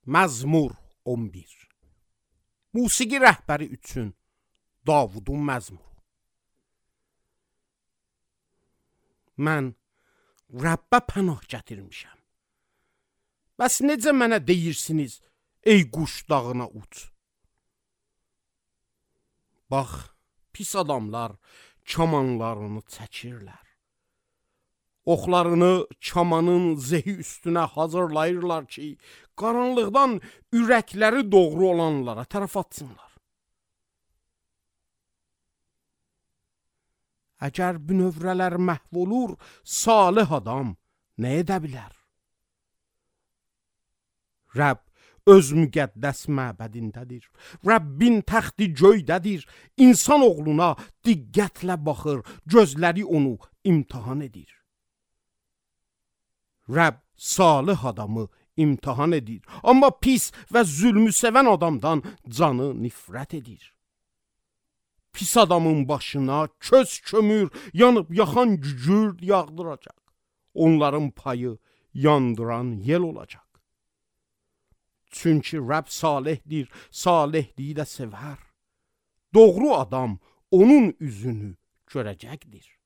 Məzmur 11. Musiqi rəhbəri üçün Davudun məzmuru. Mən Rəbbə pənah gətirmişəm. Bəs necə mənə deyirsiniz, ey quş dağına uç? Bax, pis adamlar kamanlarını çəkirlər. Oxlarını kamanın zehi üstünə hazırlayırlar ki, qaranlıqdan ürəkləri doğru olanlara tərəf atsınlar. Əgər bünövrələr məhv olur, salih adam nə edə bilər? Rəbb öz müqəddəs məbədindədir. Rəbbin təxti göydədir. İnsan oğluna diqqətlə baxır, gözləri onu imtahan edir. Rəbb salih adamı imtahan edir, amma pis və zülmü sevən adamdan canı nifrət edir. Pis adamın başına köz kömür, yanıb yaxan gügür yağdıracaq. Onların payı yandıran yel olacaq. Çünki Rəbb salihdir, salihliyi də sevər. Doğru adam onun üzünü görəcəkdir.